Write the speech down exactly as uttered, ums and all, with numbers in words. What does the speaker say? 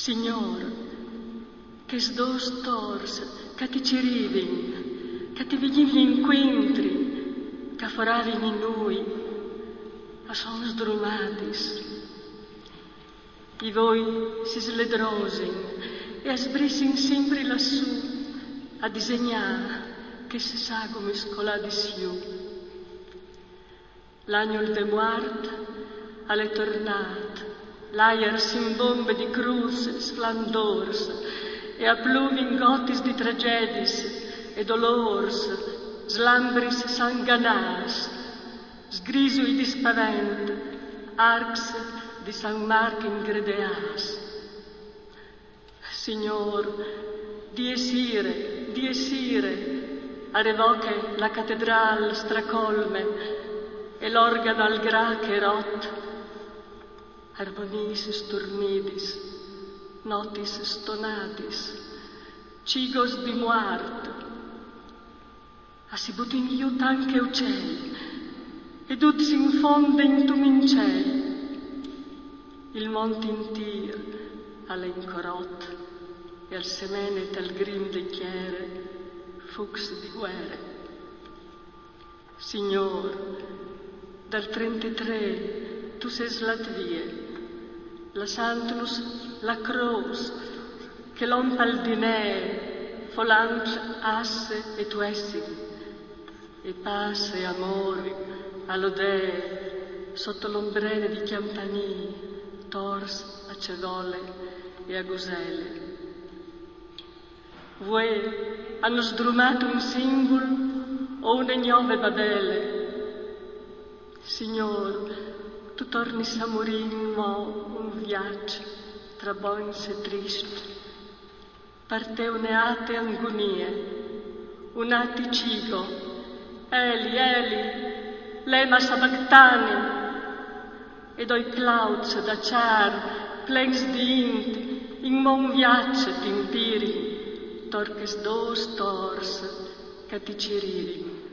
Signôr, chês dôs tors ch'a ti cirivin, ch'a ti vignivin incuintri, ch'a foravin in nui, a son sdrumadis. I voi si sledrosin e a sbrissin simpri lassù a disegnâ chês sagumis coladis jù. L'agnul de muart al è tornât, l'aiar s'imbombe di crûfs sflandôrs e a pluvin gotis di tragjedis e dolôrs, slambris sanganârs, sgrisui di spavent, arcs di San Marc ingredeâts. Signôr, die sire, die sire, a revoche la catedrâl stracolme e l'organ al grâ che rot, armoniis sturnidis, notis stonadis, cigos di muart. A si butin jù tant che ucei, e ducj s'infondin intun incei. Il mont intîr al è incorot e al semene tal grim de chere fucs di guere. Signôr, dal trentetrê tu sês lât vie, lassantnus la crôs che l'om pal dinê folant asse e tuessin, e passe e amôr a lodee sot l'ombrene di cjampanî tors a cevole e a gusele. Vuê a àn sdrumât un sinvul o une gnove Babele. Signôr, tu tornis a murî inmò un viaç tra bogns e triscj. Par te une ate angunie, un ati cigo, Eli, Eli, lema sabactani, e doi plauts da cjar plens di int inmò un viaç t'impirin tor chês dôs tors ch'a ti cirivin.